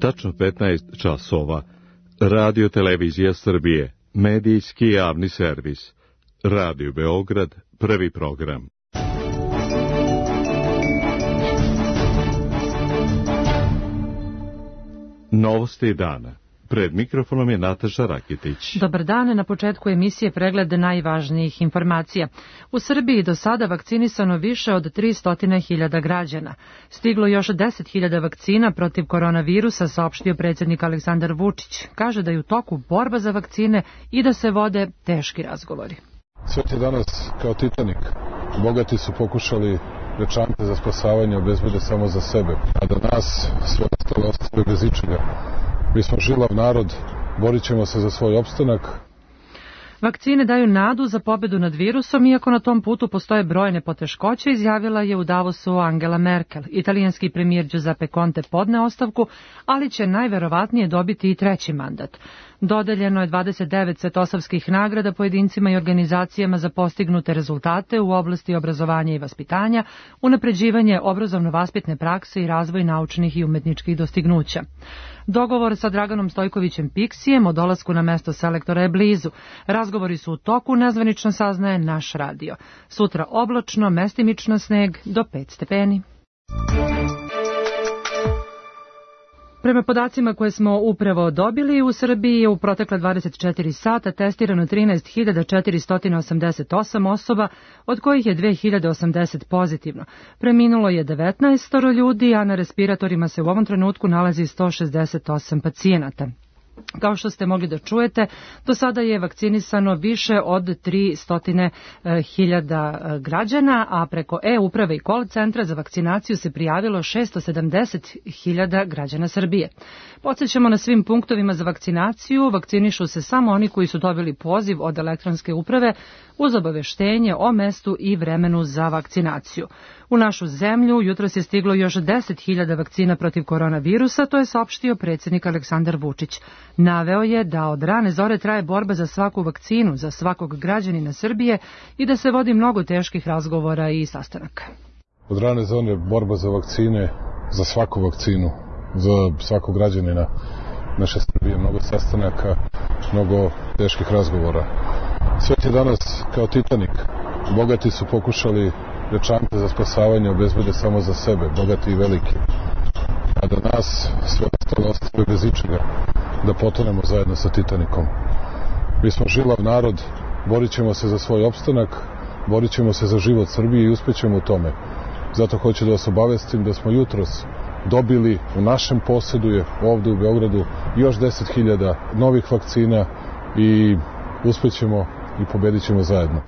Tačno 15 časova. Radio Televizija Srbije. Medijski javni servis. Radio Beograd. Prvi program. Novosti dana. Pred mikrofonom je Nataša Rakitić. Dobar dan, na početku emisije pregled najvažnijih informacija. U Srbiji do sada vakcinisano više od 300.000 građana. Stiglo još 10.000 vakcina protiv koronavirusa, saopštio predsjednik Aleksandar Vučić. Kaže da je u toku borba za vakcine i da se vode teški razgovori. Svet je danas kao Titanik. Bogati su pokušali večante za spasavanje obezbede samo za sebe, a da nas sve ostalo ostave bez ičega. Mi smo žilav narod, borit ćemo se za svoj opstanak. Vakcine daju nadu za pobedu nad virusom, iako na tom putu postoje brojne poteškoće, izjavila je u Davosu Angela Merkel. Italijanski premijer Giuseppe Conte podne ostavku, ali će najverovatnije dobiti i treći mandat. Dodeljeno je 29 svetosavskih nagrada pojedincima i organizacijama za postignute rezultate u oblasti obrazovanja i vaspitanja, unapređivanje obrazovno-vaspitne prakse i razvoj naučnih i umetničkih dostignuća. Dogovor sa Draganom Stojkovićem Piksijem o dolasku na mesto selektora je blizu. Razgovori su u toku, nezvanično saznaje naš radio. Sutra oblačno, mestimično sneg do 5 stepeni. Prema podacima koje smo upravo dobili, u Srbiji je u protekle 24 sata testirano 13.488 osoba, od kojih je 2080 pozitivno. Preminulo je 19 ljudi, a na respiratorima se u ovom trenutku nalazi 168 pacijenata. Kao što ste mogli da čujete, do sada je vakcinisano više od 300.000 građana, a preko e-uprave i call centra za vakcinaciju se prijavilo 670.000 građana Srbije. Podsjećamo, na svim punktovima za vakcinaciju vakcinišu se samo oni koji su dobili poziv od elektronske uprave uz obaveštenje o mestu i vremenu za vakcinaciju. U našu zemlju jutros je stiglo još 10.000 vakcina protiv koronavirusa, to je saopštio predsjednik Aleksandar Vučić. Naveo je da od rane zore traje borba za svaku vakcinu, za svakog građanina Srbije i da se vodi mnogo teških razgovora i sastanaka. Od rane zore borba za vakcine, za svaku vakcinu, za svakog građanina naše Srbije, mnogo sastanaka, mnogo teških razgovora. Svet je danas kao Titanik. Bogati su pokušali večante za spasavanje obezbede samo za sebe, bogati i veliki. A da nas sve ostalo ostave bez ičega, da potonemo zajedno sa Titanikom. Mi smo žilav narod, borit ćemo se za svoj opstanak, borit ćemo se za život Srbije i uspećemo u tome. Zato hoću da vas obavestim da smo jutros dobili u našem posedu je ovde u Beogradu još 10.000 novih vakcina i uspećemo i pobedit ćemo zajedno.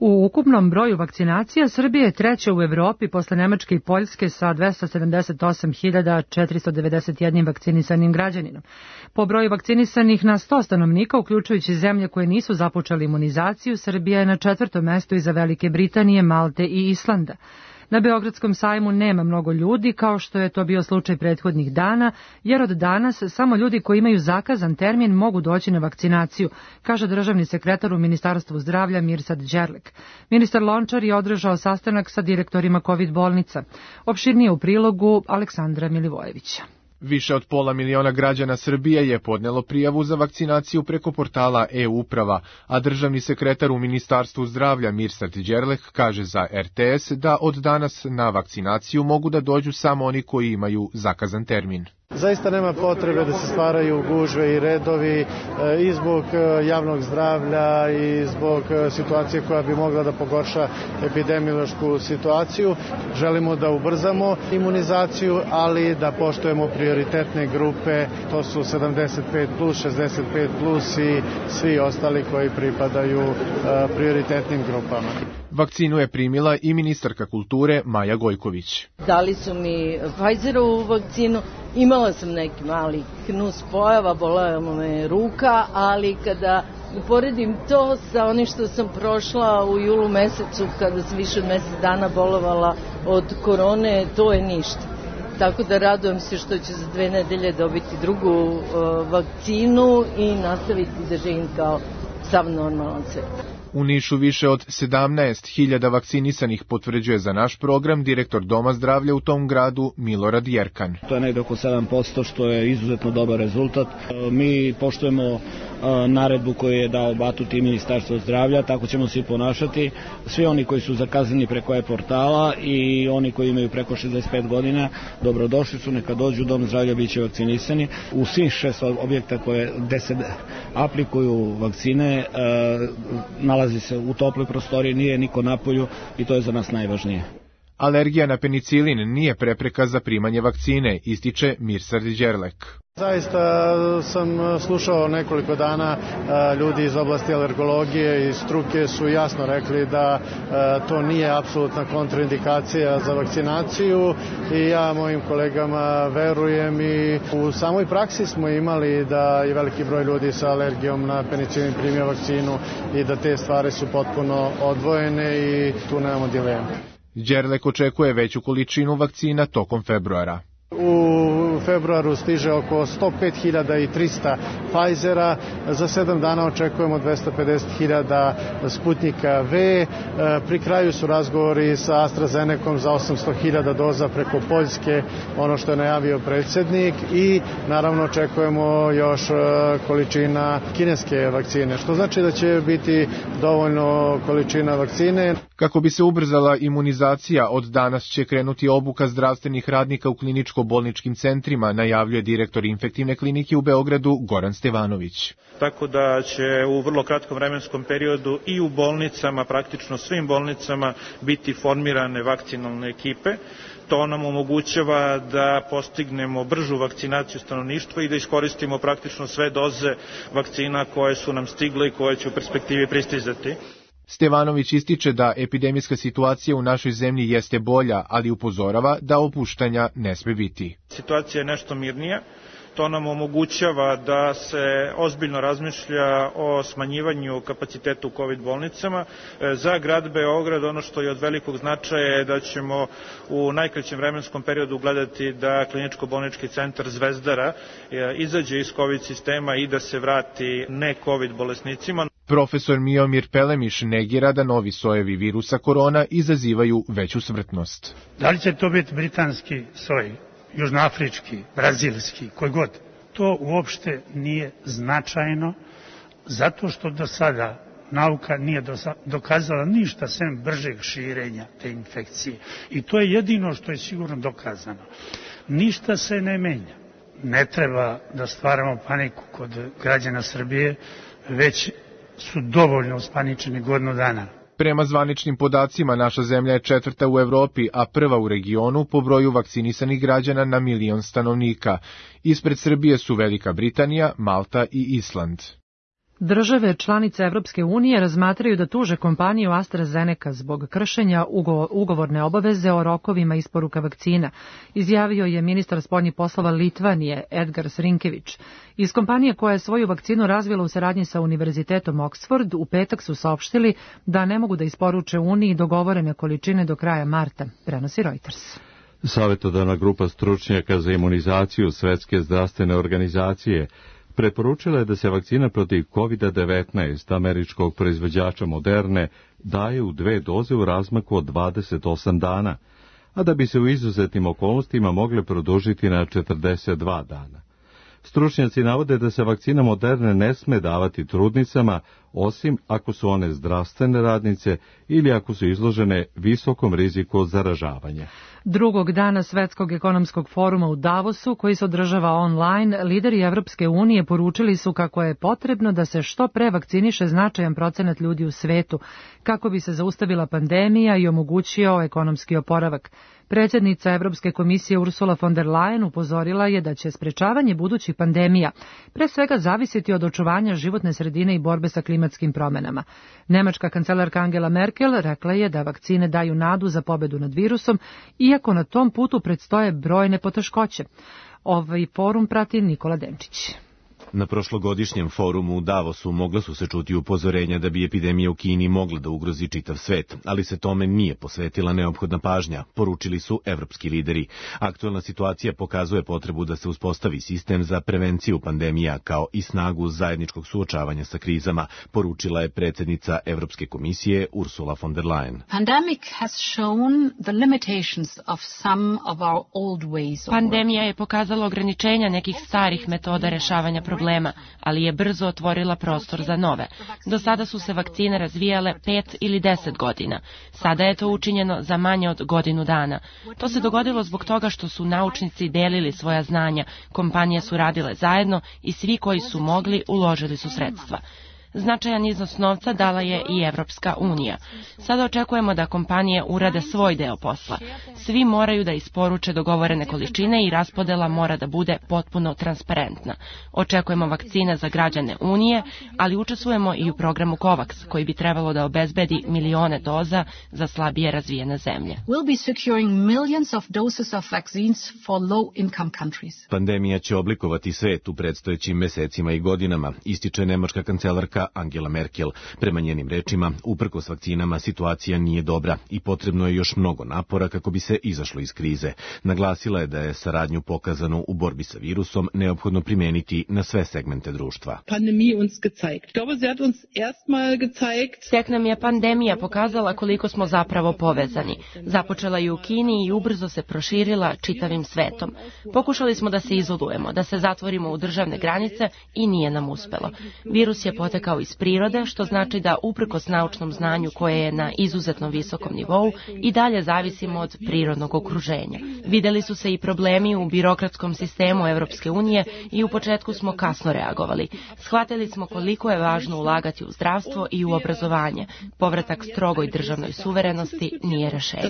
U ukupnom broju vakcinacija Srbija je treća u Evropi posle Nemačke i Poljske sa 278.491 vakcinisanim građaninom. Po broju vakcinisanih na 100 stanovnika, uključujući zemlje koje nisu započeli imunizaciju, Srbija je na 4. mestu iza Velike Britanije, Malte i Islanda. Na Beogradskom sajmu nema mnogo ljudi, kao što je to bio slučaj prethodnih dana, jer od danas samo ljudi koji imaju zakazan termin mogu doći na vakcinaciju, kaže državni sekretar u Ministarstvu zdravlja Mirsad Đerlek. Ministar Lončar je održao sastanak sa direktorima COVID bolnica. Opširnije u prilogu Aleksandra Milivojevića. Više od 500.000 građana Srbije je podnelo prijavu za vakcinaciju preko portala e-uprava, a državni sekretar u Ministarstvu zdravlja Mirsad Đerlek kaže za RTS da od danas na vakcinaciju mogu da dođu samo oni koji imaju zakazan termin. Zaista nema potrebe da se stvaraju gužve i redovi i zbog javnog zdravlja i zbog situacije koja bi mogla da pogorša epidemiološku situaciju. Želimo da ubrzamo imunizaciju, ali da poštujemo prioritetne grupe, to su 75+, 65+, i svi ostali koji pripadaju prioritetnim grupama. Vakcinu je primila i ministarka kulture Maja Gojković. Dali su mi Pfizerovu vakcinu, imala sam neki mali nus pojava, bolela me ruka, ali kada uporedim to sa onim što sam prošla u julu mesecu, kada sam više od mesec dana bolovala od korone, to je ništa. Tako da radujem se što ću za 2 nedelje dobiti drugu vakcinu i nastaviti da živim kao sav normalan svet. U Nišu više od 17.000 vakcinisanih, potvrđuje za naš program direktor Doma zdravlja u tom gradu Milorad Jerkan. To je negde oko 7%, što je izuzetno dobar rezultat. Mi poštujemo naredbu koju je dao Batut i Ministarstvo zdravlja, tako ćemo se i ponašati. Svi oni koji su zakazani preko e-portala i oni koji imaju preko 65 godina, dobrodošli su, neka dođu u Dom zdravlja, bit će vakcinisani. U svih 6 objekta gde se aplikuju vakcine, nalazi se u toploj prostoriji, nije niko napolju i to je za nas najvažnije. Alergija na penicilin nije prepreka za primanje vakcine, ističe Mirsad Đerlek. Zaista sam slušao nekoliko dana ljudi iz oblasti alergologije i struke su jasno rekli da to nije apsolutna kontraindikacija za vakcinaciju i ja mojim kolegama verujem i u samoj praksi smo imali da je veliki broj ljudi sa alergijom na penicilin primio vakcinu i da te stvari su potpuno odvojene i tu nemamo dileme. Đerlek očekuje veću količinu vakcina tokom februara. U februaru stiže oko 105.300 Pfizera, za 7 dana očekujemo 250.000 Sputnika V, pri kraju su razgovori sa AstraZenecom za 800.000 doza preko Poljske, ono što je najavio predsjednik, i naravno očekujemo još količina kineske vakcine, što znači da će biti dovoljno količina vakcine. Kako bi se ubrzala imunizacija, od danas će krenuti obuka zdravstvenih radnika u kliničko-bolničkim centrima, najavljuje direktor infektivne klinike u Beogradu Goran Stevanović. Tako da će u vrlo kratkom vremenskom periodu i u bolnicama, praktično svim bolnicama, biti formirane vakcinalne ekipe. To nam omogućava da postignemo bržu vakcinaciju stanovništva i da iskoristimo praktično sve doze vakcina koje su nam stigle i koje će u perspektivi pristizati. Stevanović ističe da epidemijska situacija u našoj zemlji jeste bolja, ali upozorava da opuštanja ne sme biti. Situacija je nešto mirnija. To nam omogućava da se ozbiljno razmišlja o smanjivanju kapaciteta u COVID bolnicama. Za grad Beograd ono što je od velikog značaja je da ćemo u najkraćem vremenskom periodu gledati da kliničko-bolnički centar Zvezdara izađe iz COVID sistema i da se vrati ne COVID bolesnicima. Profesor Miomir Pelemiš negira da novi sojevi virusa korona izazivaju veću smrtnost. Da li će to biti britanski soj, južnoafrički, brazilski, koji god? To uopšte nije značajno, zato što do sada nauka nije dokazala ništa sem bržeg širenja te infekcije. I to je jedino što je sigurno dokazano. Ništa se ne menja. Ne treba da stvaramo paniku kod građana Srbije, već su dovoljno uspaničeni godinu dana. Prema zvaničnim podacima, naša zemlja je 4. u Evropi, a 1. u regionu po broju vakcinisanih građana na 1.000.000 stanovnika. Ispred Srbije su Velika Britanija, Malta i Island. Države članice Evropske unije razmatraju da tuže kompaniju AstraZeneca zbog kršenja ugovorne obaveze o rokovima isporuka vakcina, izjavio je ministar spoljnih poslova Litvanije Edgars Rinkevič. Iz kompanije koja je svoju vakcinu razvila u saradnji sa Univerzitetom Oxford u petak su saopštili da ne mogu da isporuče Uniji dogovorene količine do kraja marta, prenosi Reuters. Savjetodavna grupa stručnjaka za imunizaciju Svetske zdravstvene organizacije preporučila je da se vakcina protiv COVID-19 američkog proizvođača Moderne daje u 2 doze u razmaku od 28 dana, a da bi se u izuzetnim okolnostima mogle produžiti na 42 dana. Stručnjaci navode da se vakcina Moderne ne sme davati trudnicama, osim ako su one zdravstvene radnice ili ako su izložene visokom riziku od zaražavanja. Drugog dana Svetskog ekonomskog foruma u Davosu, koji se održava online, lideri Evropske unije poručili su kako je potrebno da se što pre vakciniše značajan procenat ljudi u svetu, kako bi se zaustavila pandemija i omogućio ekonomski oporavak. Predsjednica Evropske komisije Ursula von der Leyen upozorila je da će sprečavanje budućih pandemija pre svega zavisiti od očuvanja životne sredine i borbe sa klimatskim promenama. Nemačka kancelarka Angela Merkel rekla je da vakcine daju nadu za pobedu nad virusom, iako na tom putu predstoje brojne poteškoće. Ovaj forum prati Nikola Denčić. Na prošlogodišnjem forumu u Davosu mogla su se čuti upozorenja da bi epidemija u Kini mogla da ugrozi čitav svet, ali se tome nije posvetila neophodna pažnja, poručili su evropski lideri. Aktuelna situacija pokazuje potrebu da se uspostavi sistem za prevenciju pandemija kao i snagu zajedničkog suočavanja sa krizama, poručila je predsjednica Evropske komisije Ursula von der Leyen. Pandemija je pokazala ograničenja nekih starih metoda rešavanja problema, ali je brzo otvorila prostor za nove. Do sada su se vakcine razvijale 5 ili 10 godina. Sada je to učinjeno za manje od godinu dana. To se dogodilo zbog toga što su naučnici delili svoja znanja, kompanije su radile zajedno i svi koji su mogli uložili su sredstva. Značajan iznos novca dala je i Evropska unija. Sada očekujemo da kompanije urade svoj deo posla. Svi moraju da isporuče dogovorene količine i raspodela mora da bude potpuno transparentna. Očekujemo vakcine za građane Unije, ali učestvujemo i u programu COVAX, koji bi trebalo da obezbedi milione doza za slabije razvijene zemlje. Pandemija će oblikovati svet u predstojećim mesecima i godinama, ističe nemačka kancelarka Angela Merkel. Prema njenim rečima, uprkos vakcinama situacija nije dobra i potrebno je još mnogo napora kako bi se izašlo iz krize. Naglasila je da je saradnju pokazanu u borbi sa virusom neophodno primeniti na sve segmente društva. Tek nam je pandemija pokazala koliko smo zapravo povezani. Započela je u Kini i ubrzo se proširila čitavim svetom. Pokušali smo da se izolujemo, da se zatvorimo u državne granice i nije nam uspelo. Virus je potekao iz prirode, što znači da uprkos naučnom znanju koje je na izuzetno visokom nivou i dalje zavisimo od prirodnog okruženja. Videli su se i problemi u birokratskom sistemu Evropske unije i u početku smo kasno reagovali. Shvatili smo koliko je važno ulagati u zdravstvo i u obrazovanje. Povratak strogoj državnoj suverenosti nije rešenje.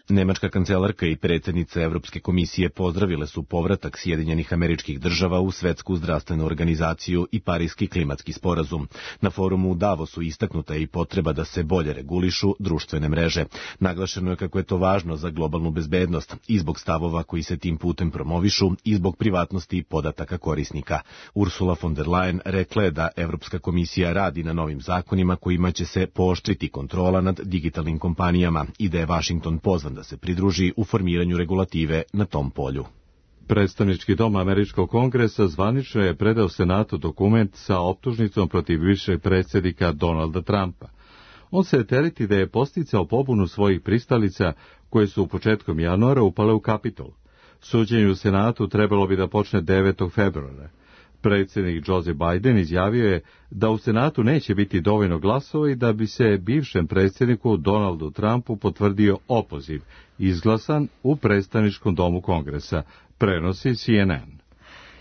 Nemačka kancelarka i predsjednica Evropske komisije pozdravile su povratak Sjedinjenih Američkih Država u Svetsku zdravstvenu organizaciju i Pariski klimatski sporazum. Na forumu u Davosu istaknuta je i potreba da se bolje regulišu društvene mreže. Naglašeno je kako je to važno za globalnu bezbednost i zbog stavova koji se tim putem promovišu i zbog privatnosti podataka korisnika. Ursula von der Leyen rekla je da Evropska komisija radi na novim zakonima kojima će se pooštriti kontrola nad digitalnim kompanijama i da je Washington pozvan da se pridruži u formiranju regulative na tom polju. Predstavnički dom Američkog kongresa zvanično je predao Senatu dokument sa optužnicom protiv bivšeg predsjednika Donalda Trumpa. On se tereti da je posticao pobunu svojih pristalica koje su u početkom januara upale u Kapitol. Suđenje u Senatu trebalo bi da počne 9. februara. Predsjednik Joseph Biden izjavio je da u Senatu neće biti dovoljno glasova i da bi se bivšem predsjedniku Donaldu Trumpu potvrdio opoziv, izglasan u predstavničkom domu Kongresa, prenosi CNN.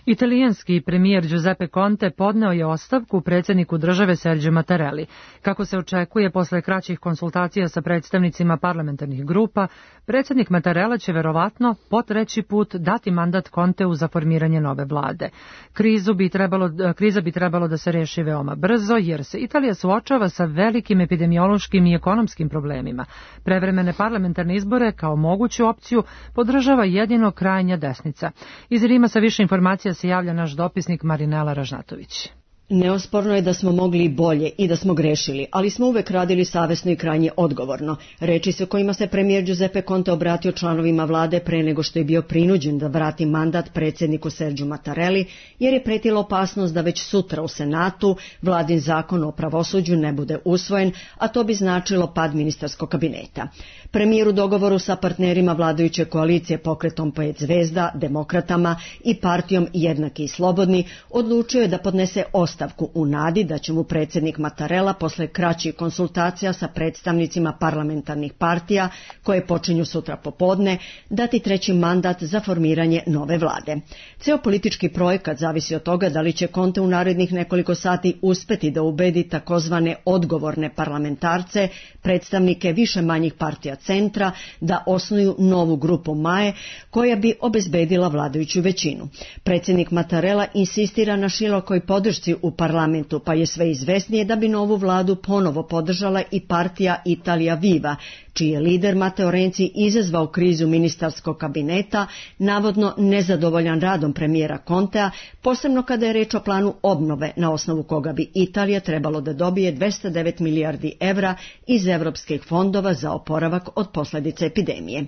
Italijanski premijer Giuseppe Conte podneo je ostavku predsjedniku države Sergio Mattarelli. Kako se očekuje posle kraćih konsultacija sa predstavnicima parlamentarnih grupa, predsjednik Mattarella će verovatno po treći put dati mandat Conteu za formiranje nove vlade. Kriza bi trebalo da se reši veoma brzo, jer se Italija suočava sa velikim epidemiološkim i ekonomskim problemima. Prevremene parlamentarne izbore kao moguću opciju podržava jedino krajnja desnica. Iz Rima sa više informacija se javlja naš dopisnik Marinela Ražnatović. Neosporno je da smo mogli i bolje i da smo grešili, ali smo uvek radili savesno i krajnje odgovorno. Reči se kojima se premijer Giuseppe Conte obratio članovima vlade pre nego što je bio prinuđen da vrati mandat predsjedniku Sergio Mattarelli, jer je pretila opasnost da već sutra u Senatu vladin zakon o pravosuđu ne bude usvojen, a to bi značilo pad ministarskog kabineta. Premijer u dogovoru sa partnerima vladajuće koalicije Pokretom 5 zvezda, Demokratama i partijom Jednaki i slobodni odlučio je da podnese ostavku u nadi da će mu predsjednik Mattarella posle kraćih konsultacija sa predstavnicima parlamentarnih partija, koje počinju sutra popodne, dati treći mandat za formiranje nove vlade. Ceo politički projekat zavisi od toga da li će Conte u narednih nekoliko sati uspeti da ubedi takozvane odgovorne parlamentarce, predstavnike više manjih partija centra da osnuju novu grupu MAE koja bi obezbedila vladajuću većinu. Predsjednik Mattarella insistira na širokoj podršci u parlamentu, pa je sve izvesnije da bi novu vladu ponovo podržala i partija Italia Viva, čiji je lider Matteo Renzi izazvao krizu ministarskog kabineta, navodno nezadovoljan radom premijera Contea, posebno kada je reč o planu obnove, na osnovu koga bi Italija trebalo da dobije 209 milijardi evra iz evropskih fondova za oporavak od posljedica epidemije.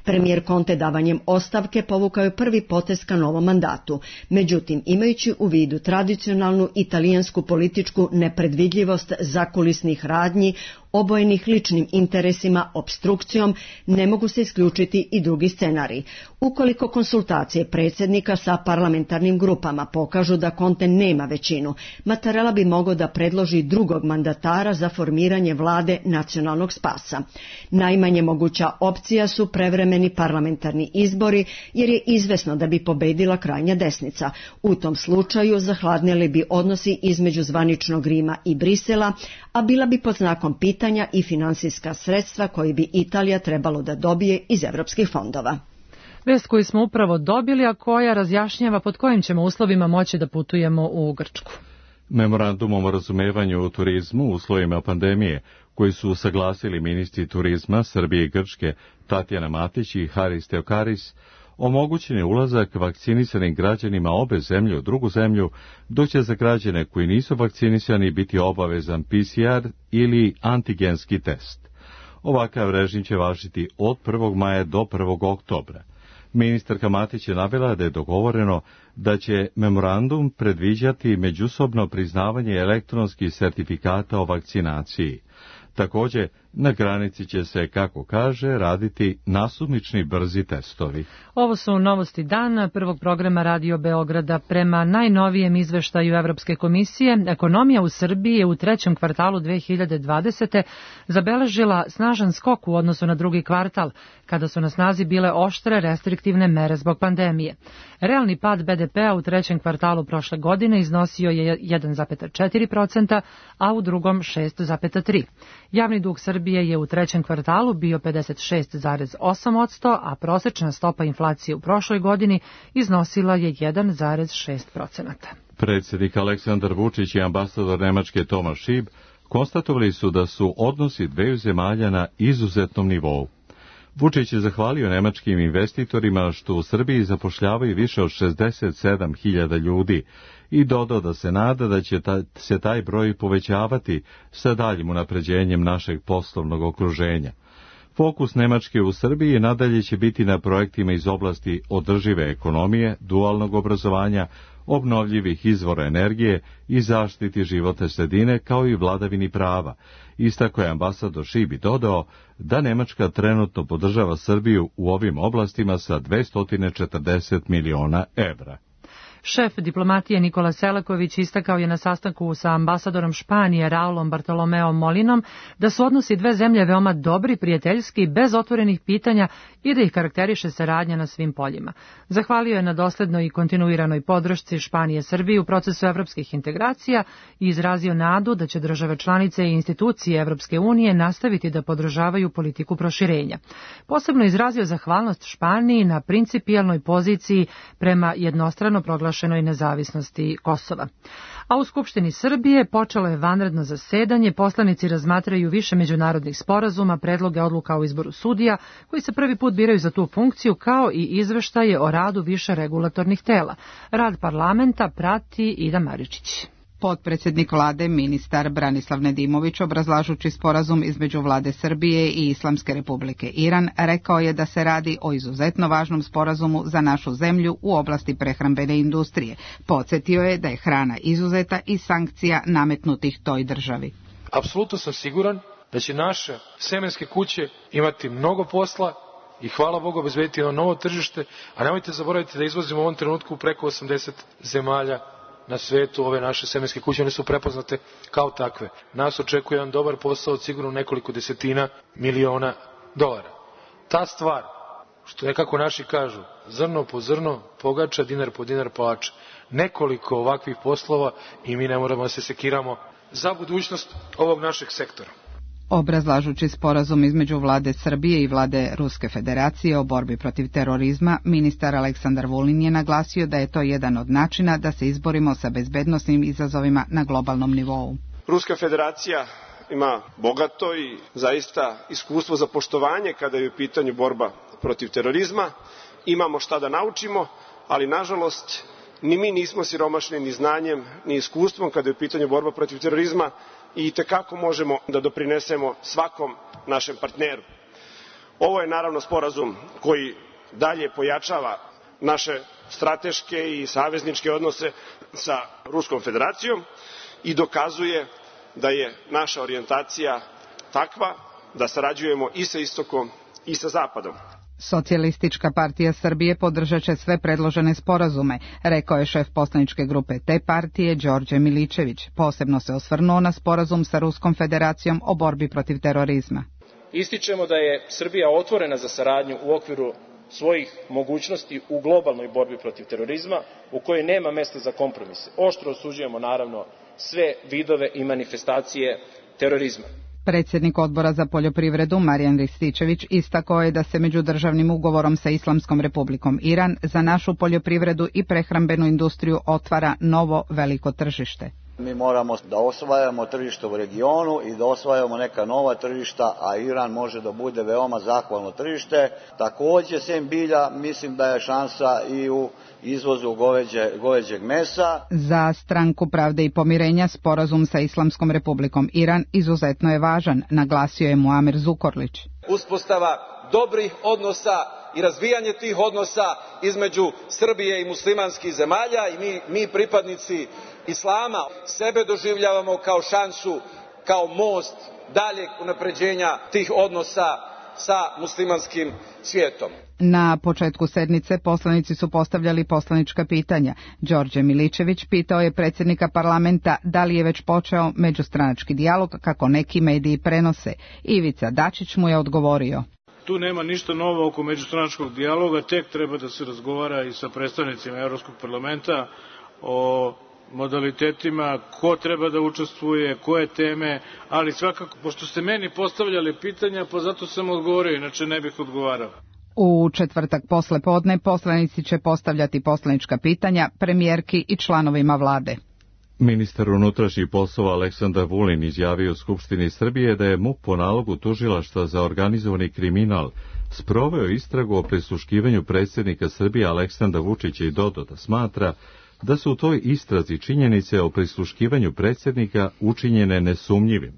Premijer Conte davanjem ostavke povukao je prvi potez ka novom mandatu. Međutim, imajući u vidu tradicionalnu italijansku političku nepredvidljivost zakulisnih radnji, obojenih ličnim interesima, opstrukcijom, ne mogu se isključiti i drugi scenariji. Ukoliko konsultacije predsjednika sa parlamentarnim grupama pokažu da Conte nema većinu, Mattarella bi mogao da predloži drugog mandatara za formiranje vlade nacionalnog spasa. Najmanje moguća opcija su prevremeni parlamentarni izbori, jer je izvesno da bi pobedila krajnja desnica. U tom slučaju zahladnili bi odnosi između zvaničnog Rima i Brisela, a bila bi pod znakom pitanja i finansijska sredstva koje bi Italija trebalo da dobije iz evropskih fondova. Vest koju smo upravo dobili, a koja razjašnjava pod kojim ćemo uslovima moći da putujemo u Grčku. Memorandumom o razumevanju u turizmu u uslovima pandemije, koji su usaglasili ministri turizma Srbije i Grčke Tatjana Matić i Haris Theokaris, omogućen je ulazak vakcinisanim građanima obe zemlje u drugu zemlju, dok će za građane koji nisu vakcinisani biti obavezan PCR ili antigenski test. Ovakav režim će važiti od 1. maja do 1. oktobra. Ministarka Matić je navela da je dogovoreno da će memorandum predviđati međusobno priznavanje elektronskih sertifikata o vakcinaciji. Također, na granici će se, kako kaže, raditi nasumični brzi testovi. Ovo su novosti dana prvog programa Radio Beograda. Prema najnovijem izveštaju Evropske komisije, ekonomija u Srbiji je u trećem kvartalu 2020. zabeležila snažan skok u odnosu na drugi kvartal, kada su na snazi bile oštre restriktivne mere zbog pandemije. Realni pad BDP-a u trećem kvartalu prošle godine iznosio je 1,4%, a u drugom 6,3%. Javni dug Srbije je u trećem kvartalu bio 56,8%, a prosečna stopa inflacije u prošloj godini iznosila je 1,6%. Predsjednik Aleksandar Vučić i ambasador Nemačke Tomas Schieb konstatovali su da su odnosi dveju zemalja na izuzetnom nivou. Vučić je zahvalio nemačkim investitorima što u Srbiji zapošljavaju više od 67.000 ljudi i dodao da se nada da će se taj broj povećavati sa daljim unapređenjem našeg poslovnog okruženja. Fokus Nemačke u Srbiji nadalje će biti na projektima iz oblasti održive ekonomije, dualnog obrazovanja, obnovljivih izvora energije i zaštiti životne sredine kao i vladavini prava. Istako je ambasador Schieb dodao da Nemačka trenutno podržava Srbiju u ovim oblastima sa 240 miliona evra. Šef diplomatije Nikola Selaković istakao je na sastanku sa ambasadorom Španije Raulom Bartolomeo Molinom da su odnosi dve zemlje veoma dobri, prijateljski, bez otvorenih pitanja i da ih karakteriše saradnja na svim poljima. Zahvalio je na doslednoj i kontinuiranoj podršci Španije Srbiji u procesu evropskih integracija i izrazio nadu da će države članice i institucije Evropske unije nastaviti da podržavaju politiku proširenja. Posebno izrazio zahvalnost Španiji na principijelnoj poziciji prema jednostrano proglašenoj nezavisnosti Kosova. A u Skupštini Srbije počelo je vanredno zasedanje, poslanici razmatraju više međunarodnih sporazuma, predloge odluka o izboru sudija, koji se prvi put biraju za tu funkciju, kao i izveštaje o radu više regulatornih tela. Rad parlamenta prati Ida Maričić. Potpredsjednik vlade, ministar Branislav Nedimović, obrazlažući sporazum između vlade Srbije i Islamske republike Iran, rekao je da se radi o izuzetno važnom sporazumu za našu zemlju u oblasti prehrambene industrije. Podsjetio je da je hrana izuzeta iz sankcija nametnutih toj državi. Apsolutno sam siguran da će naše semenske kuće imati mnogo posla i hvala Bogu obezbediti jedno novo tržište, a nemojte zaboraviti da izvozimo u ovom trenutku preko 80 zemalja na svetu. Ove naše semenske kuće, one su prepoznate kao takve. Nas očekuje jedan dobar posao od sigurno nekoliko desetina miliona dolara. Ta stvar, što nekako naši kažu, zrno po zrno pogača, dinar po dinar palača. Nekoliko ovakvih poslova i mi ne moramo da se sekiramo za budućnost ovog našeg sektora. Obrazlažući sporazum između vlade Srbije i vlade Ruske federacije o borbi protiv terorizma, ministar Aleksandar Vulin je naglasio da je to jedan od načina da se izborimo sa bezbednosnim izazovima na globalnom nivou. Ruska federacija ima bogato i zaista iskustvo za poštovanje kada je u pitanju borba protiv terorizma. Imamo šta da naučimo, ali nažalost ni mi nismo siromašni ni znanjem ni iskustvom kada je u pitanju borba protiv terorizma i itekako možemo da doprinesemo svakom našem partneru. Ovo je naravno sporazum koji dalje pojačava naše strateške i savezničke odnose sa Ruskom federacijom i dokazuje da je naša orijentacija takva da sarađujemo i sa istokom i sa zapadom. Socijalistička partija Srbije podržat će sve predložene sporazume, rekao je šef poslaničke grupe te partije Đorđe Miličević. Posebno se osvrnuo na sporazum sa Ruskom federacijom o borbi protiv terorizma. Ističemo da je Srbija otvorena za saradnju u okviru svojih mogućnosti u globalnoj borbi protiv terorizma, u kojoj nema mesta za kompromise. Oštro osuđujemo naravno sve vidove i manifestacije terorizma. Predsjednik odbora za poljoprivredu Marijan Rističević istakao je da se međudržavnim ugovorom sa Islamskom republikom Iran za našu poljoprivredu i prehrambenu industriju otvara novo veliko tržište. Mi moramo da osvajamo tržište u regionu i da osvajamo neka nova tržišta, a Iran može da bude veoma zahvalno tržište. Takođe, sem bilja, mislim da je šansa i u izvozu goveđeg mesa. Za Stranku pravde i pomirenja sporazum sa Islamskom republikom Iran izuzetno je važan, naglasio je Muamer Zukorlić. Uspostava dobrih odnosa i razvijanje tih odnosa između Srbije i muslimanskih zemalja i mi pripadnici Islama sebe doživljavamo kao šansu, kao most daljeg unapređenja tih odnosa sa muslimanskim svijetom. Na početku sednice poslanici su postavljali poslanička pitanja. Đorđe Miličević pitao je predsjednika parlamenta da li je već počeo međustranački dijalog kako neki mediji prenose. Ivica Dačić mu je odgovorio. Tu nema ništa novo oko međustranačkog dijaloga, tek treba da se razgovara i sa predstavnicima Evropskog parlamenta o modalitetima, ko treba da učestvuje, koje teme, ali svakako, pošto ste meni postavljali pitanja, pa zato sam odgovorio, inače ne bih odgovarao. U četvrtak posle podne poslanici će postavljati poslanička pitanja premijerki i članovima vlade. Ministar unutrašnjih poslova Aleksandar Vulin izjavio u Skupštini Srbije da je MUP po nalogu tužilaštva za organizovani kriminal sproveo istragu o prisluškivanju predsjednika Srbije Aleksandra Vučića i dodao da smatra da su u toj istrazi činjenice o prisluškivanju predsjednika učinjene nesumnjivim.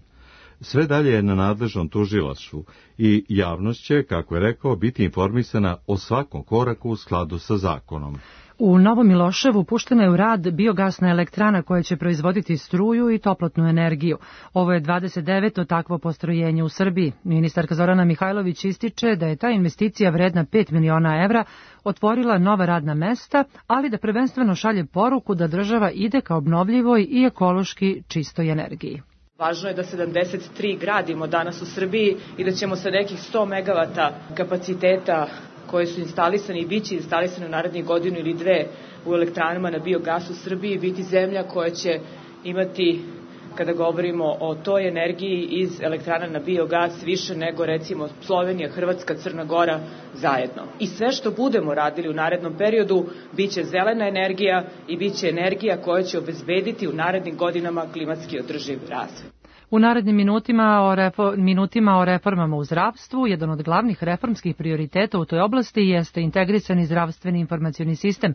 Sve dalje je na nadležnom tužilaštvu i javnost će, kako je rekao, biti informisana o svakom koraku u skladu sa zakonom. U Novom Miloševu puštena je u rad biogasna elektrana koja će proizvoditi struju i toplotnu energiju. Ovo je 29. takvo postrojenje u Srbiji. Ministarka Zorana Mihajlović ističe da je ta investicija vredna 5 miliona evra otvorila nova radna mesta, ali da prvenstveno šalje poruku da država ide ka obnovljivoj i ekološki čistoj energiji. Važno je da 73 gradimo danas u Srbiji i da ćemo sa nekih 100 megavata kapaciteta koje su instalisani i bit će instalisani u narednih godinu ili dve u elektranama na biogas u Srbiji biti zemlja koja će imati, kada govorimo o toj energiji iz elektrana na biogas, više nego recimo Slovenija, Hrvatska, Crna Gora zajedno. I sve što budemo radili u narednom periodu bit će zelena energija i bit će energija koja će obezbediti u narednim godinama klimatski održiv razvoj. U narednim minutima o reformama u zdravstvu, jedan od glavnih reformskih prioriteta u toj oblasti jeste integrisani zdravstveni informacioni sistem,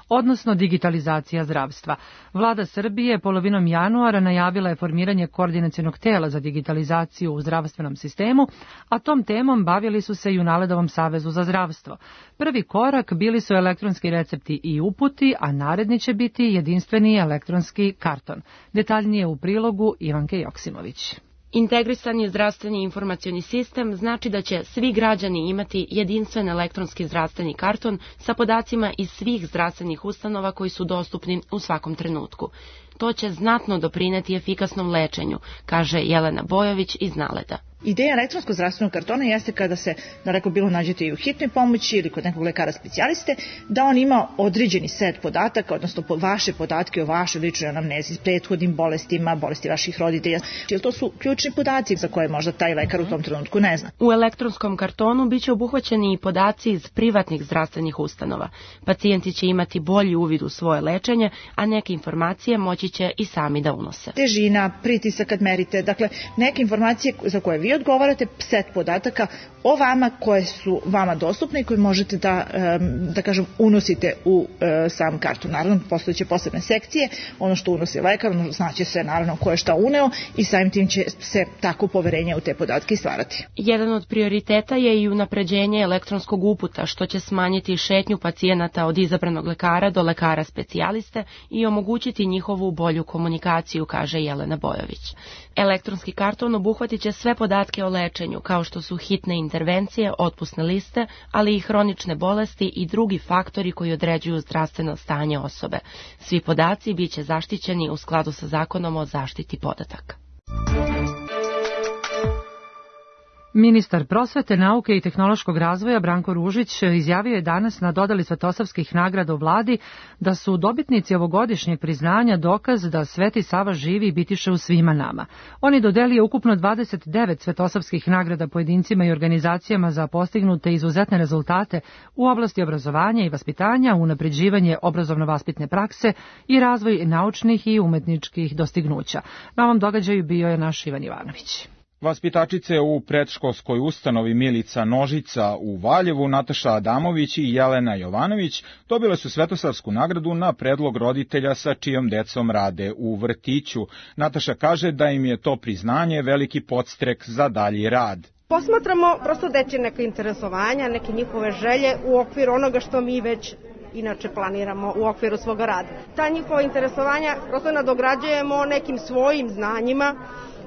odnosno digitalizacija zdravstva. Vlada Srbije polovinom januara najavila je formiranje koordinacionog tela za digitalizaciju u zdravstvenom sistemu, a tom temom bavili su se i u Naledovom savezu za zdravstvo. Prvi korak bili su elektronski recepti i uputi, a naredni će biti jedinstveni elektronski karton. Detaljnije u prilogu Ivanke Joksimović. Integrisani zdravstveni informacioni sistem znači da će svi građani imati jedinstven elektronski zdravstveni karton sa podacima iz svih zdravstvenih ustanova koji su dostupni u svakom trenutku. To će znatno doprineti efikasnom lečenju, kaže Jelena Bojović iz Naleda. Ideja elektronskog zdravstvenog kartona jeste kada se, da rekao, bilo nađete i u hitnoj pomoći ili kod nekog lekara specijaliste, da on ima određeni set podataka, odnosno vaše podatke o vašoj ličnoj anamnezi, prethodnim bolestima, bolesti vaših roditelja. Jer to su ključni podaci za koje možda taj lekar u tom trenutku ne zna. U elektronskom kartonu biće obuhvaćeni i podaci iz privatnih zdravstvenih ustanova. Pacijenti će imati bolji uvid u svoje lečenje, a neke informacije moći će i sami da unose. Težina, pritisak kad merite, dakle neke informacije za koje vi odgovarate, set podataka o vama koje su vama dostupne i koje možete da kažem, unosite u sam karton. Naravno, postojeće posebne sekcije, ono što unosi lekar, znaće se naravno ko je šta uneo i samim tim će se tako poverenje u te podatke stvarati. Jedan od prioriteta je i unapređenje elektronskog uputa, što će smanjiti šetnju pacijenata od izabranog lekara do lekara specijaliste i omogućiti njihovu bolju komunikaciju, kaže Jelena Bojović. Elektronski karton obuhvatit će sve podatke o lečenju, kao što su hitne intervencije, otpusne liste, ali i hronične bolesti i drugi faktori koji određuju zdravstveno stanje osobe. Svi podaci biće zaštićeni u skladu sa Zakonom o zaštiti podataka. Ministar prosvete, nauke i tehnološkog razvoja Branko Ružić izjavio je danas na dodali Svetosavskih nagrada u vladi da su dobitnici ovogodišnjeg priznanja dokaz da Sveti Sava živi i bitiše u svima nama. On je dodelio ukupno 29 Svetosavskih nagrada pojedincima i organizacijama za postignute izuzetne rezultate u oblasti obrazovanja i vaspitanja, unapređivanje obrazovno-vaspitne prakse i razvoj naučnih i umetničkih dostignuća. Na ovom događaju bio je naš Ivan Ivanović. Vaspitačice u predškolskoj ustanovi Milica Nožica u Valjevu, Nataša Adamović i Jelena Jovanović dobile su Svetosavsku nagradu na predlog roditelja sa čijom decom rade u vrtiću. Nataša kaže da im je to priznanje veliki podstrek za dalji rad. Posmatramo prosto dečje neke interesovanja, neke njihove želje u okviru onoga što mi već inače planiramo u okviru svoga rada. Ta njihova interesovanja prosto nadograđujemo nekim svojim znanjima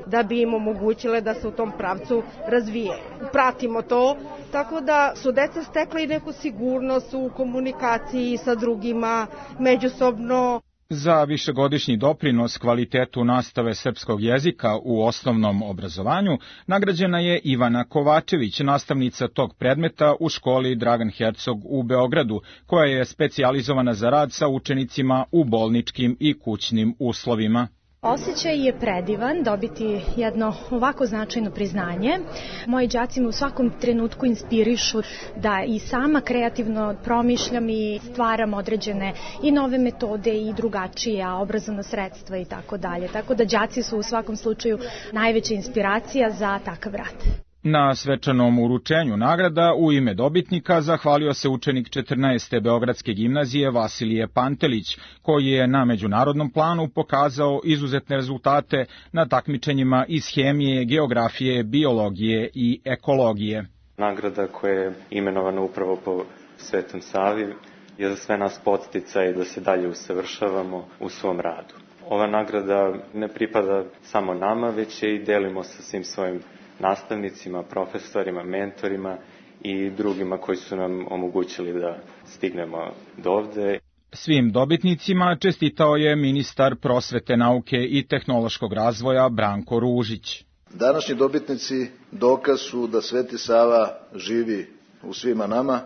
da bi im omogućile da se u tom pravcu razvije. Pratimo to, tako da su deca stekla i neku sigurnost u komunikaciji sa drugima, međusobno. Za višegodišnji doprinos kvalitetu nastave srpskog jezika u osnovnom obrazovanju nagrađena je Ivana Kovačević, nastavnica tog predmeta u školi Dragan Hercog u Beogradu, koja je specijalizovana za rad sa učenicima u bolničkim i kućnim uslovima. Osjećaj je predivan dobiti jedno ovako značajno priznanje. Moji đaci me u svakom trenutku inspirišu da i sama kreativno promišljam i stvaram određene i nove metode i drugačija obrazovna sredstva i tako dalje. Tako da đaci su u svakom slučaju najveća inspiracija za takav rad. Na svečanom uručenju nagrada u ime dobitnika zahvalio se učenik 14. Beogradske gimnazije Vasilije Pantelić, koji je na međunarodnom planu pokazao izuzetne rezultate na takmičenjima iz hemije, geografije, biologije i ekologije. Nagrada koja je imenovana upravo po Svetom Savi je za sve nas podsticaj da se dalje usavršavamo u svom radu. Ova nagrada ne pripada samo nama, već je i delimo sa svim svojim nastavnicima, profesorima, mentorima i drugima koji su nam omogućili da stignemo do ovde. Svim dobitnicima čestitao je ministar prosvete, nauke i tehnološkog razvoja Branko Ružić. Današnji dobitnici dokaz su da Sveti Sava živi u svima nama.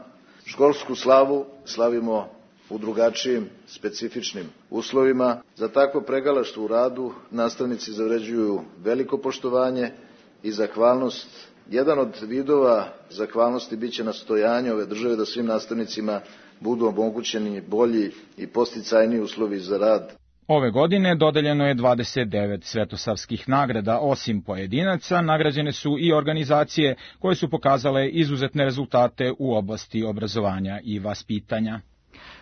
Školsku slavu slavimo u drugačijim, specifičnim uslovima. Za takvo pregalaštvo u radu nastavnici zavređuju veliko poštovanje i zahvalnost. Jedan od vidova zahvalnosti biće nastojanje ove države da svim nastavnicima budu omogućeni bolji i podsticajniji uslovi za rad. Ove godine dodeljeno je 29 svetosavskih nagrada. Osim pojedinaca, nagrađene su i organizacije koje su pokazale izuzetne rezultate u oblasti obrazovanja i vaspitanja.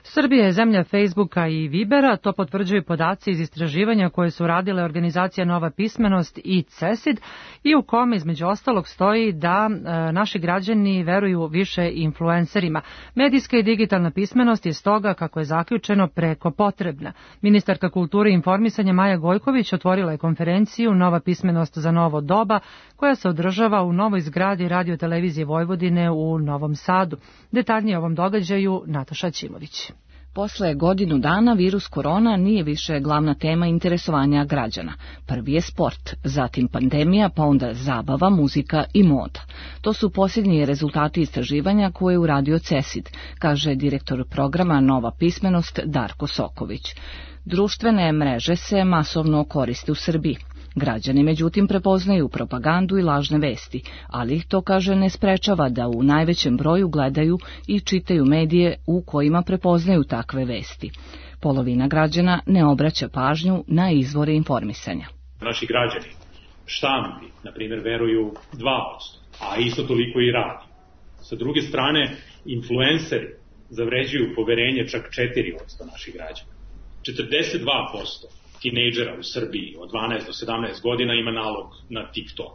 Srbija je zemlja Facebooka i Vibera, to potvrđuju podaci iz istraživanja koje su radile organizacija Nova pismenost i CESID i u kome između ostalog stoji da naši građani veruju više influencerima. Medijska i digitalna pismenost je stoga, kako je zaključeno, preko potrebna. Ministarka kulture i informisanja Maja Gojković otvorila je konferenciju Nova pismenost za novo doba, koja se održava u novoj zgradi Radio-televizije Vojvodine u Novom Sadu. Detaljnije o ovom događaju Nataša Ćimović. Posle godinu dana virus korona nije više glavna tema interesovanja građana. Prvi je sport, zatim pandemija, pa onda zabava, muzika i moda. To su posljednji rezultati istraživanja koje je uradio CESID, kaže direktor programa Nova pismenost Darko Soković. Društvene mreže se masovno koriste u Srbiji. Građani, međutim, prepoznaju propagandu i lažne vesti, ali ih to, kaže, ne sprečava da u najvećem broju gledaju i čitaju medije u kojima prepoznaju takve vesti. Polovina građana ne obraća pažnju na izvore informisanja. Naši građani štampi, na primjer, veruju 2%, a isto toliko i radi. Sa druge strane, influenceri zavređuju poverenje čak 4% naših građana. 42% tinejdžera u Srbiji od 12 do 17 godina ima nalog na TikTok.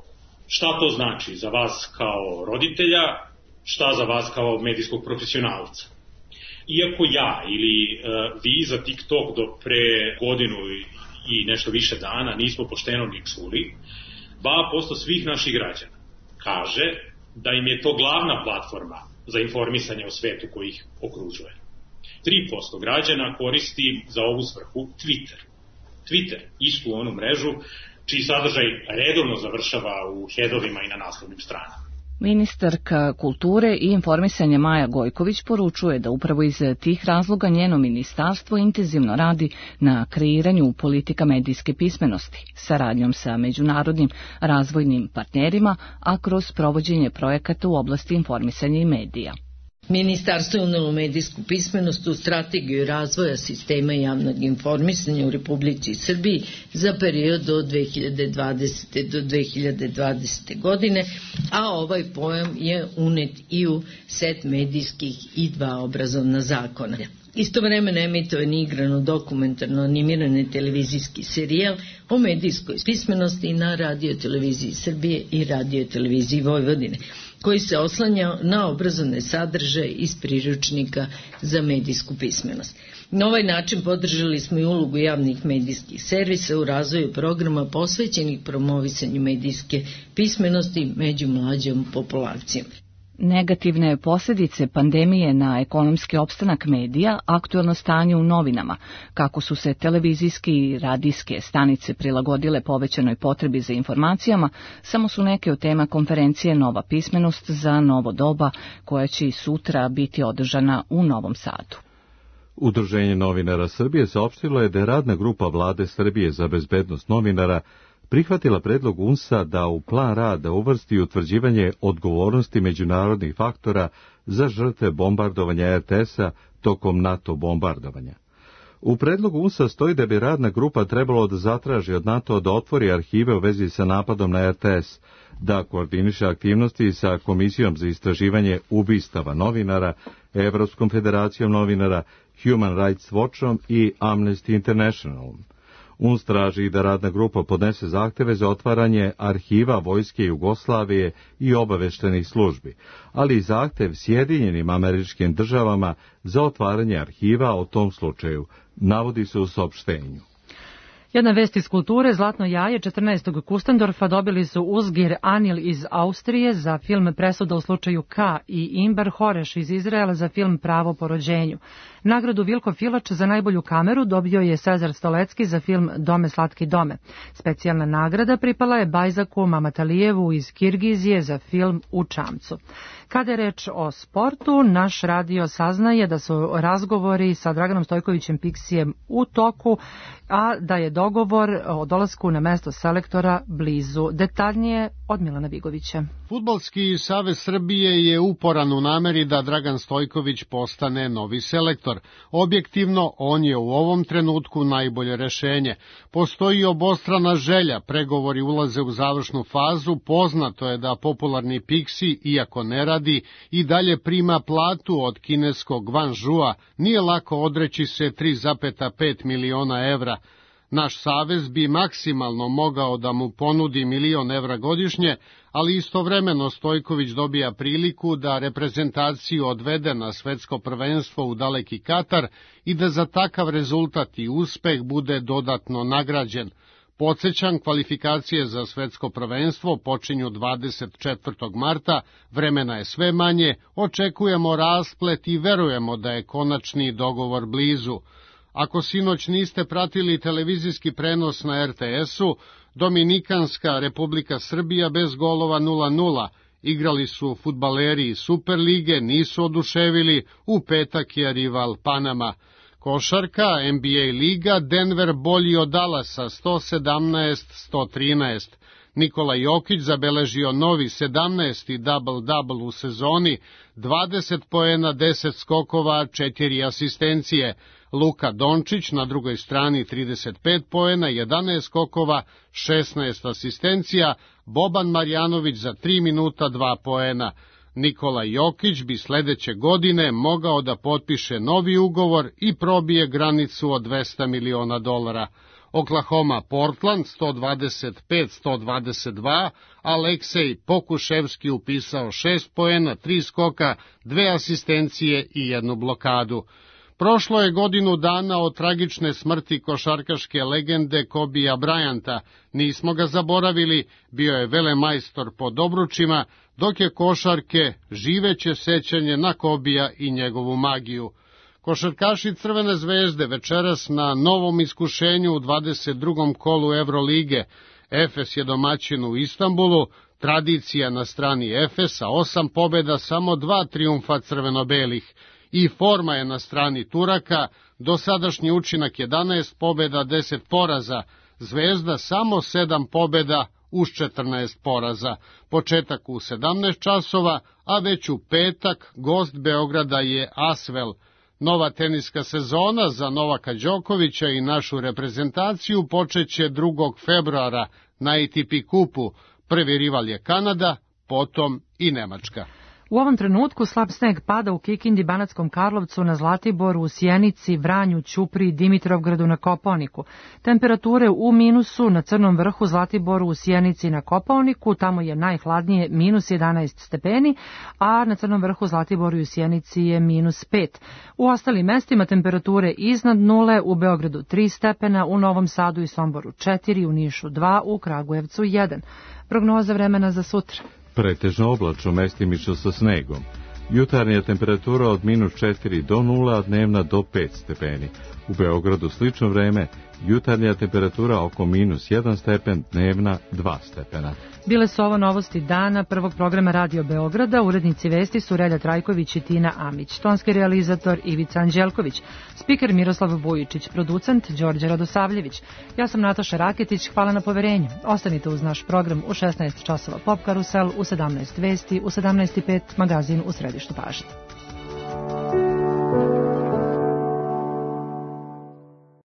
Šta to znači za vas kao roditelja, šta za vas kao medijskog profesionalca? Iako ja ili vi za TikTok do pre godinu i nešto više dana nismo pošteno ni čuli, 2% svih naših građana kaže da im je to glavna platforma za informisanje o svetu koji ih okružuje. 3% građana koristi za ovu svrhu Twitter, istu onu mrežu, čiji sadržaj redovno završava u headovima i na naslovnim stranama. Ministarka kulture i informisanja Maja Gojković poručuje da upravo iz tih razloga njeno ministarstvo intenzivno radi na kreiranju politika medijske pismenosti, saradnjom sa međunarodnim razvojnim partnerima, a kroz provođenje projekata u oblasti informisanja i medija. Ministarstvo je unelo medijsku pismenost u strategiju razvoja sistema javnog informisanja u Republici Srbiji za period od 2020. do 2020. godine, a ovaj pojam je unet i u set medijskih i 2 obrazovna zakona. Istovremeno emitovan je igrano dokumentarno animirani televizijski serijal o medijskoj pismenosti na Radio-televiziji Srbije i Radio-televiziji Vojvodine, koji se oslanja na obrazovne sadržaje iz priručnika za medijsku pismenost. Na ovaj način podržali smo i ulogu javnih medijskih servisa u razvoju programa posvećenih promovisanju medijske pismenosti među mlađom populacijom. Negativne posljedice pandemije na ekonomski opstanak medija, aktuelno stanje u novinama, kako su se televizijske i radijske stanice prilagodile povećanoj potrebi za informacijama, samo su neke od tema konferencije Nova pismenost za novo doba, koja će i sutra biti održana u Novom Sadu. Udruženje novinara Srbije saopštilo je da je radna grupa Vlade Srbije za bezbednost novinara prihvatila predlog UNS-a da u plan rada uvrsti utvrđivanje odgovornosti međunarodnih faktora za žrtve bombardovanja RTS-a tokom NATO bombardovanja. U predlogu UNS-a stoji da bi radna grupa trebalo da zatraži od NATO da otvori arhive u vezi sa napadom na RTS, da koordiniše aktivnosti sa Komisijom za istraživanje ubistava novinara, Evropskom federacijom novinara, Human Rights Watchom i Amnesty Internationalom. UNS traži da radna grupa podnese zahteve za otvaranje arhiva Vojske Jugoslavije i obaveštenih službi, ali i zahtev Sjedinjenim Američkim Državama za otvaranje arhiva o tom slučaju, navodi se u saopštenju. Jedna vest iz kulture, Zlatno jaje 14. Kustendorfa dobili su Uzgir Anil iz Austrije za film Presuda u slučaju K i Imber Horeš iz Izraela za film Pravo po rođenju. Nagradu Vilko Filač za najbolju kameru dobio je Cezar Stolecki za film Dome slatki dome. Specijalna nagrada pripala je Bajzaku Mamatalijevu iz Kirgizije za film U čamcu. Kada je reč o sportu, naš radio saznaje da su razgovori sa Draganom Stojkovićem Piksijem u toku, a da je dogovor o dolasku na mesto selektora blizu. Detaljnije od Milana Vigovića. Fudbalski savez Srbije je uporan u nameri da Dragan Stojković postane novi selektor. Objektivno, on je u ovom trenutku najbolje rešenje. Postoji obostrana želja, pregovori ulaze u završnu fazu, poznato je da popularni Piksi, iako ne radi, i dalje prima platu od kineskog Guangzhoua, nije lako odreći se 3,5 miliona evra. Naš savez bi maksimalno mogao da mu ponudi 1.000.000 evra godišnje, ali istovremeno Stojković dobija priliku da reprezentaciju odvede na svetsko prvenstvo u daleki Katar i da za takav rezultat i uspeh bude dodatno nagrađen. Podsećam, kvalifikacije za svetsko prvenstvo počinju 24. marta, vremena je sve manje, očekujemo rasplet i verujemo da je konačni dogovor blizu. Ako sinoć niste pratili televizijski prenos na RTS-u, Dominikanska Republika Srbija bez golova 0:0. Igrali su fudbaleri iz Superlige, nisu oduševili, u petak je rival Panama. Košarka, NBA liga, Denver bolji od Dallasa 117-113. Nikola Jokić zabeležio novi 17. double-double u sezoni, 20 poena, 10 skokova, 4 asistencije. Luka Dončić na drugoj strani 35 poena, 11 skokova, 16 asistencija, Boban Marjanović za 3 minuta 2 poena. Nikola Jokić bi sledeće godine mogao da potpiše novi ugovor i probije granicu od $200 miliona. Oklahoma Portland 125-122, Aleksej Pokuševski upisao 6 poena, 3 skoka, 2 asistencije i 1 blokadu. Prošlo je godinu dana od tragične smrti košarkaške legende Kobija Bryanta. Nismo ga zaboravili, bio je velemajstor po dobručima, dok je košarke živeće sećanje na Kobija i njegovu magiju. Košarkaši Crvene zvezde večeras na novom iskušenju u 22. kolu Evrolige. Efes je domaćin u Istanbulu, tradicija na strani Efesa, 8 pobeda, samo 2 trijumfa crveno-belih. I forma je na strani Turaka, dosadašnji učinak 11 pobeda, 10 poraza, Zvezda samo 7 pobeda uz 14 poraza. Početak u 17 časova, a već u petak gost Beograda je Asvel. Nova teniska sezona za Novaka Đokovića i našu reprezentaciju počeće 2. februara na ATP kupu. Prvi rival je Kanada, potom i Nemačka. U ovom trenutku slab sneg pada u Kikindi, Banatskom Karlovcu, na Zlatiboru, u Sjenici, Vranju, Ćupriji, Dimitrovgradu, na Kopaoniku. Temperature u minusu na Crnom vrhu, Zlatiboru, u Sjenici, na Kopaoniku, tamo je najhladnije -11 stepeni, a na Crnom vrhu, Zlatiboru i u Sjenici je -5. U ostalim mestima temperature iznad nule, u Beogradu 3 stepena, u Novom Sadu i Somboru 4, u Nišu 2, u Kragujevcu 1. Prognoza vremena za sutra. Pretežno oblačno, mestimično sa snegom. Jutarnja temperatura od -4 do 0, a dnevna do 5 stepeni. U Beogradu slično vreme, jutarnja temperatura oko -1 stepen, dnevna 2 stepena. Bile su ovo novosti dana prvog programa Radio Beograda. Urednici vesti su Relja Trajković i Tina Amić. Tonski realizator Ivica Anđelković. Spiker Miroslav Vujičić. Producent Đorđe Radosavljević. Ja sam Nataša Raketić. Hvala na poverenju. Ostanite uz naš program u 16 časova Pop Karusel, u 17 vesti, u 17:05 magazin u središtu pažnje.